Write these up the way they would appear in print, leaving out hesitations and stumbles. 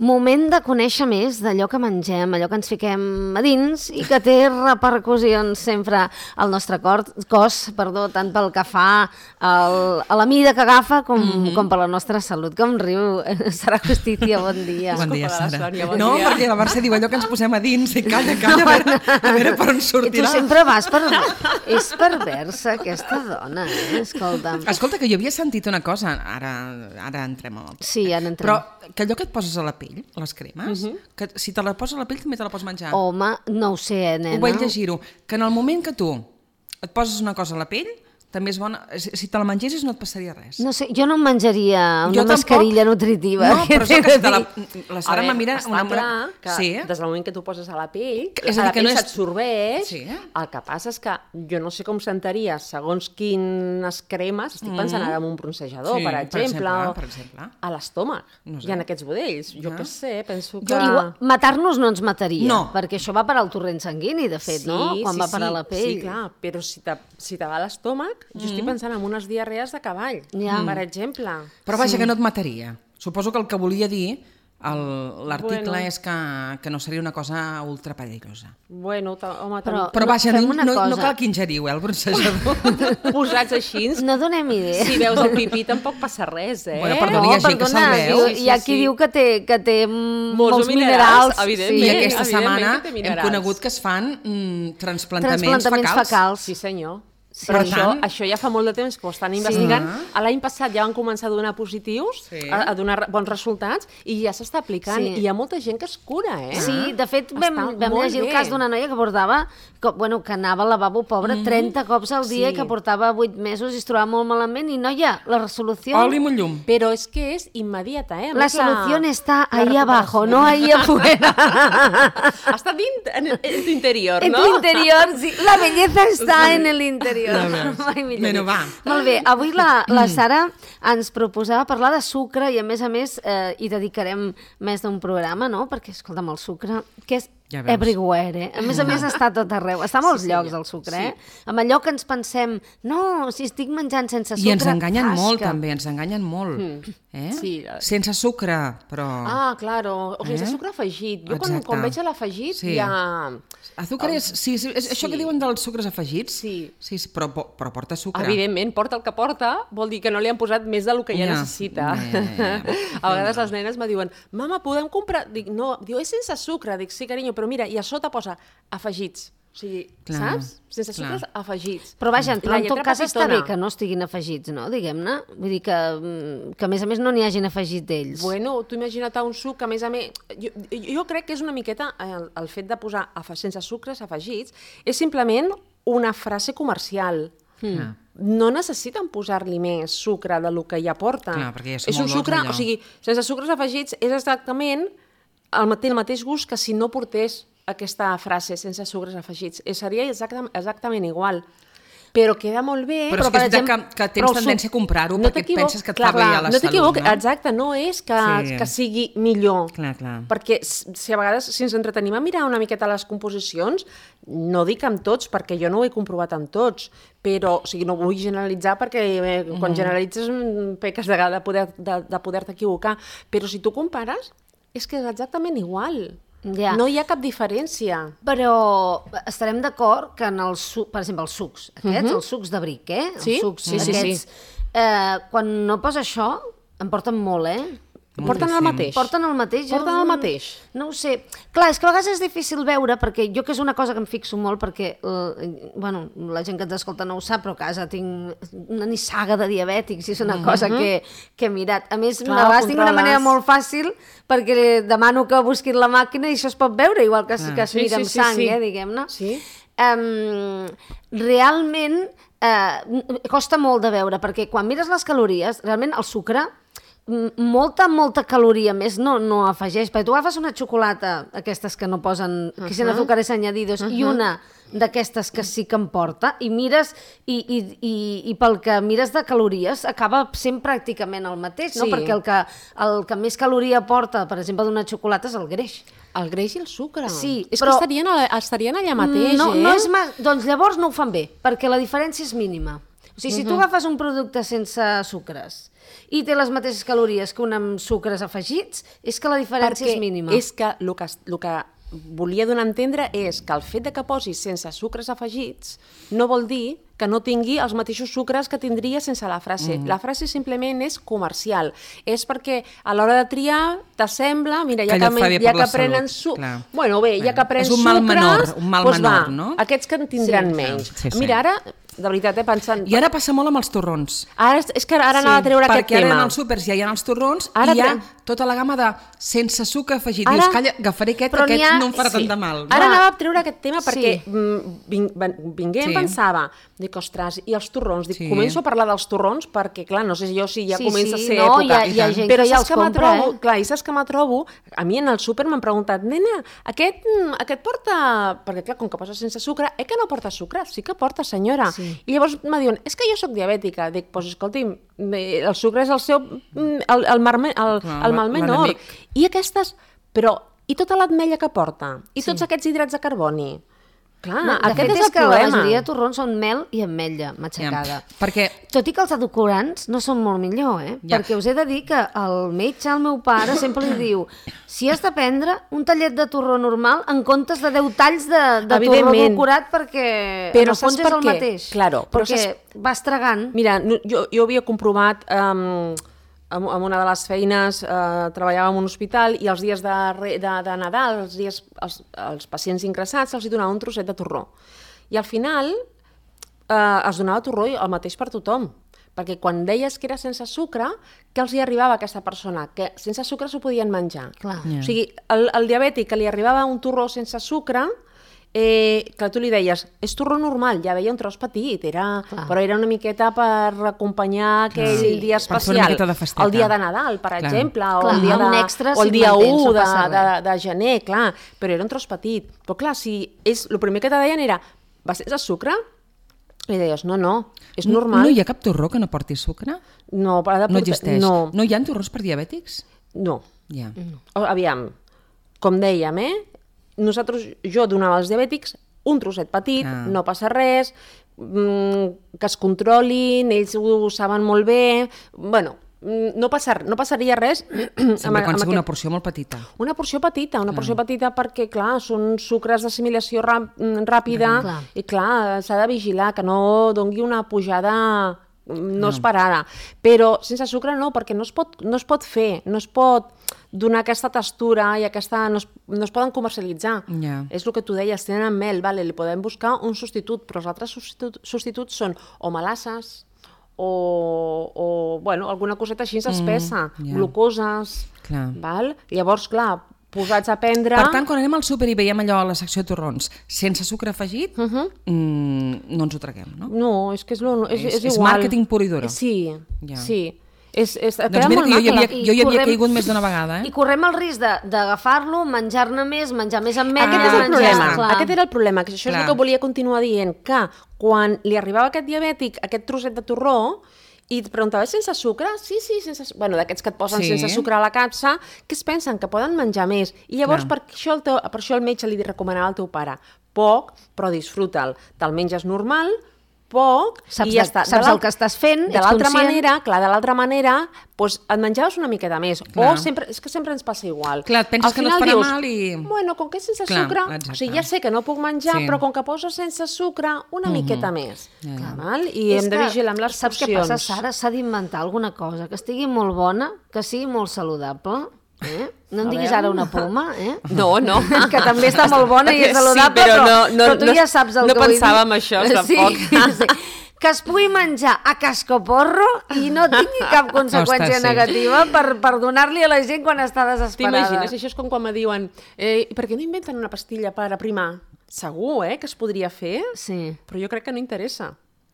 Moment de conèixer més d'allò que mengem, allò que ens fiquem a dins i que té repercussions sempre al nostre cos, tant pel que fa a la mida que agafa com per la nostra salut. Com riu Sara Justicia, bon dia. Bon dia, Sara. No, perquè la Mercè diu allò que ens posem a dins i calla, a veure per on sortirà. I tu sempre vas per... És perversa, aquesta dona, escolta'm. Escolta, que jo havia sentit una cosa, ara entrem en el... Sí, ara entrem. Però que allò que et poses a la pell, les cremes, que si te la poses a la pell també te la pots menjar. Home, no ho sé, nena. Ho vaig llegir-ho, que en el moment que tu et poses una cosa a la pell, també és bona, si te la mengessis no et passaria res. No sé, jo no em menjaria una mascarilla nutritiva. No, però és que la Sara me mira... Està clar que des del moment que tu poses a la pell, la pell s'absorbeix, el que passa és que jo no sé com sentaria segons quines cremes, estic pensant ara en un bronzejador, per exemple, a l'estómac, i en aquests budells. Jo què sé, penso que... Matar-nos no ens mataria, perquè això va per al torrent sanguini, de fet, no? Quan va per a la pell. Sí, clar, però si te va a l'estómac, jo estic pensant en unes diarrees de cavall, per exemple. Però vaja, que no et mataria. Suposo que el que volia dir l'article és que no seria una cosa ultra perillosa. Bueno, home... Però vaja, no cal que ingeriu, el bronzejador. Posats així... No donem idea. Si veus el pipí tampoc passa res, eh? Bueno, perdona, hi ha gent que se'l veu. Hi ha qui diu que té molts minerals. Evidentment. I aquesta setmana hem conegut que es fan transplantaments fecals. Sí, senyor. Però això ja fa molt de temps que ho estan investigant. L'any passat ja van començar a donar positius, a donar bons resultats, i ja s'està aplicant. I hi ha molta gent que es cura, eh? Sí, de fet vam llegir el cas d'una noia que portava, que anava al lavabo, pobra, 30 cops al dia, que portava 8 mesos i es trobava molt malament, i noia, la resolució... Oli amb un llum. Però és que és immediata, eh? La solució està ahí abajo, no ahí afuera. Està en l'interior, no? En tu interior, sí. La belleza està en el interior. Bueno, va. Molt bé, avui la Sara ens proposava parlar de sucre i a més hi dedicarem més d'un programa, no? Perquè, escolta'm, el sucre, que és everywhere, eh? A més està a tot arreu, està a molts llocs el sucre, eh? Amb allò que ens pensem, no, si estic menjant sense sucre... I ens enganyen molt, també, ens enganyen molt. Sense sucre, però... Ah, claro, o sense sucre afegit. Jo quan veig l'afegit ja... Azúcar és això que diuen dels sucres afegits? Sí, però porta sucre. Evidentment, porta el que porta, vol dir que no li han posat més del que ja necessita. A vegades les nenes me diuen, mama, podem comprar... Dic, no, diu, és sense sucre. Dic, sí, carinyo, però mira, i a sota posa afegits. O sigui, saps? Sense sucres afegits. Però vaja, en tot cas està bé que no estiguin afegits, no? Diguem-ne. Vull dir que a més no n'hi hagin afegit d'ells. Bueno, tu imagina't un suc que a més... Jo crec que és una miqueta el fet de posar sense sucres afegits és simplement una frase comercial. No necessiten posar-li més sucre del que ja porta. És un sucre, o sigui, sense sucres afegits és exactament el mateix gust que si no portés aquesta frase sense sucres afegits. Seria exactament igual. Però queda molt bé... Però és que tens tendència a comprar-ho perquè et penses que et fa bé a la salut, no? No t'equivoques, exacte, no és que sigui millor. Perquè si a vegades, si ens entretenim a mirar una miqueta les composicions, no dic amb tots, perquè jo no ho he comprovat amb tots, però, o sigui, no vull generalitzar perquè quan generalitzes peques de poder-te equivocar, però si tu compares, és que és exactament igual. No hi ha cap diferència. Però estarem d'acord que per exemple, els sucs, els sucs de bric, Sí. Quan no posa això, em porten molt, Porten el mateix. Porten el mateix. No ho sé. Clar, és que a vegades és difícil veure, perquè jo que és una cosa que em fixo molt, perquè la gent que ens escolta no ho sap, però a casa tinc una nissaga de diabètics i és una cosa que he mirat. A més, a vegades tinc una manera molt fàcil perquè demano que busquin la màquina i això es pot veure, igual que es mira amb sang, diguem-ne. Realment costa molt de veure, perquè quan mires les calories, realment el sucre molta caloria més no afegeix, perquè tu agafes una xocolata, aquestes que no posen, que sin azúcares añadidos, i una d'aquestes que sí que em porta, i mires, i pel que mires de calories acaba sent pràcticament el mateix, no? Perquè el que més caloria porta, per exemple, d'una xocolata és el greix. El greix i el sucre. Sí, és que estarien allà mateix, no és doncs llavors no ho fan bé, perquè la diferència és mínima. O sigui, si tu agafes un producte sense sucres i té les mateixes calories que un amb sucres afegits, és que la diferència és mínima. És que el que volia donar a entendre és que el fet de que posis sense sucres afegits no vol dir que no tingui els mateixos sucres que tindria sense la frase. La frase simplement és comercial. És perquè a l'hora de triar t'assembla, mira, ja que prenen sucre... Bueno, bé, ja que prenen sucres... És un mal menor, no? Aquests que en tindran menys. Mira, ara, de veritat, pensant... I ara passa molt amb els torrons. És que ara anava a treure aquest tema. Perquè ara en els súpers ja hi ha els torrons i hi ha tota la gamma de sense sucre afegit. Dius, calla, agafaré aquest, que aquest no em farà tant de mal. Ara anava a treure aquest tema perquè vingué em pensava, dic, ostres, i els torrons? Dic, començo a parlar dels torrons perquè, clar, no sé jo si ja comença a ser època. Hi ha gent però que ja els compra, clar, i saps que me trobo? A mi en el súper m'han preguntat, nena, aquest porta... Perquè, clar, com que posa sense sucre, que no porta sucre? Sí que porta, senyora. I llavors me diuen, és que jo sóc diabètica. Dic, doncs escolti'm, el sucre és el seu... el mal menor. I aquestes... Però, i tota l'ametlla que porta? I tots aquests hidrats de carboni? Clar, aquest és el problema. La majoria de torrons són mel i ametlla matxacada. Perquè... Tot i que els edulcorants no són molt millor, perquè us he de dir que el metge, el meu pare, sempre li diu si has de prendre un tallet de torró normal en comptes de 10 talls de torró edulcorat perquè en el fons és el mateix. Claro, perquè vas tragant. Mira, jo havia comprovat... amb una de les feines treballava en un hospital i els dies de Nadal, els pacients ingressats, se'ls donava un trosset de torró. I al final es donava torró el mateix per tothom, perquè quan deies que era sense sucre, què els hi arribava a aquesta persona? Que sense sucre s'ho podien menjar. O sigui, el diabètic que li arribava un torró sense sucre... clar, tu li deies, és torró normal, ja veia un tros petit, però era una miqueta per acompanyar aquell dia especial, el dia de Nadal, per exemple, o el dia 1 de gener, clar, però era un tros petit. Però clar, el primer que te deien era, va sense sucre? I deies, no, és normal. No hi ha cap torró que no porti sucre? No existeix. No hi ha torrons per diabètics? No. Aviam, com dèiem, jo donava als diabètics un trosset petit, no passa res, que es controlin, ells ho saben molt bé, bueno, no passaria res. Sempre quan sigui una porció molt petita. Una porció petita perquè, clar, són sucres d'assimilació ràpida i, clar, s'ha de vigilar que no doni una pujada no esperada. Però sense sucre no, perquè no es pot fer, no es pot donar aquesta textura i no es poden comercialitzar. És el que tu deies, tenen mel, li podem buscar un substitut, però els altres substituts són o melasses o alguna coseta així espessa, glucoses. Llavors, clar, posats a prendre... Per tant, quan anem al súper i veiem allò a la secció de torrons sense sucre afegit, no ens ho traguem, no? No, és que és igual. És màrqueting pur i duro. Sí. Doncs mira que jo hi havia caigut més d'una vegada. I correm el risc d'agafar-lo, menjar-ne més, menjar més ametlla... Aquest era el problema, que això és el que volia continuar dient, que quan li arribava aquest diabètic, aquest trosset de torró, i et preguntava, sense sucre? Sí, sense sucre. Bueno, d'aquests que et posen sense sucre a la capsa, que es pensen que poden menjar més. I llavors per això el metge li recomanava al teu pare, poc, però disfruta'l. Te'l menges normal, poc, i ja està. Saps el que estàs fent, ets conscient. De l'altra manera, et menjaves una miqueta més. És que sempre ens passa igual. Clar, et penses que no et farà mal i... Bueno, com que és sense sucre, o sigui, ja sé que no puc menjar, però com que poso sense sucre, una miqueta més. I hem de vigilar amb les porcions. Saps què passa, Sara? S'ha d'inventar alguna cosa que estigui molt bona, que sigui molt saludable. No em diguis ara una poma, No. Que també està molt bona i és saludable, però tu ja saps el que vull dir. No pensava en això, tampoc. Que es pugui menjar a cascoporro i no tingui cap conseqüència negativa per donar-li a la gent quan està desesperada. T'imagines? Això és com quan me diuen per què no inventen una pastilla per aprimar? Segur, que es podria fer, però jo crec que no interessa.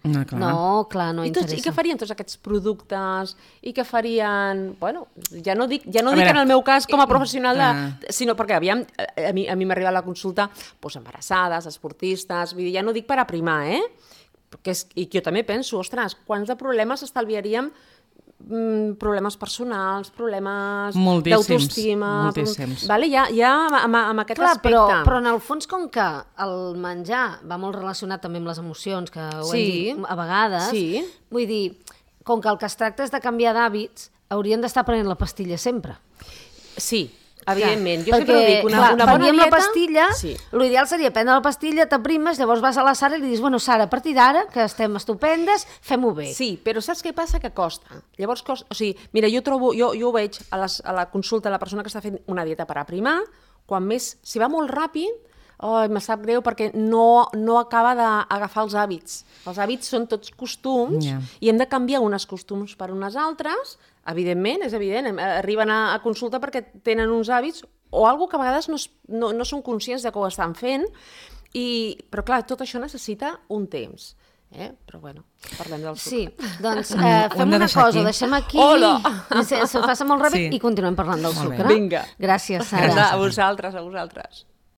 No, clar, no interessa. I què farien tots aquests productes? I què farien... Bueno, ja no dic en el meu cas com a professional, sinó perquè a mi m'arriba a la consulta embarassades, esportistes, vull dir, ja no dic per aprimar, I jo també penso, ostres, quants de problemes estalviaríem problemes personals, problemes d'autoestima. Moltíssims. Vale? Ja amb aquest aspecte. Però en el fons, com que el menjar va molt relacionat també amb les emocions, que ho hem dit a vegades, vull dir, com que el que es tracta és de canviar d'hàbits, haurien d'estar prenent la pastilla sempre. Sí, evidentment. Jo sempre dic, una bona dieta... la pastilla, l'ideal seria prendre la pastilla, t'aprimes, llavors vas a la Sara i li dius, bueno, Sara, a partir d'ara, que estem estupendes, fem-ho bé. Sí, però saps què passa? Que costa. Llavors costa... O sigui, mira, jo ho veig a la consulta de la persona que està fent una dieta per aprimar, quan més, si va molt ràpid, me sap greu perquè no acaba d'agafar els hàbits. Els hàbits són tots costums i hem de canviar uns costums per unes altres. Evidentment, és evident, arriben a consulta perquè tenen uns hàbits o alguna que a vegades no són conscients de que ho estan fent, però clar, tot això necessita un temps. Però bueno, parlem del sucre. Sí, doncs fem una cosa, ho deixem aquí, se faça molt ràpid i continuem parlant del sucre. Vinga. Gràcies, Sara. A vosaltres.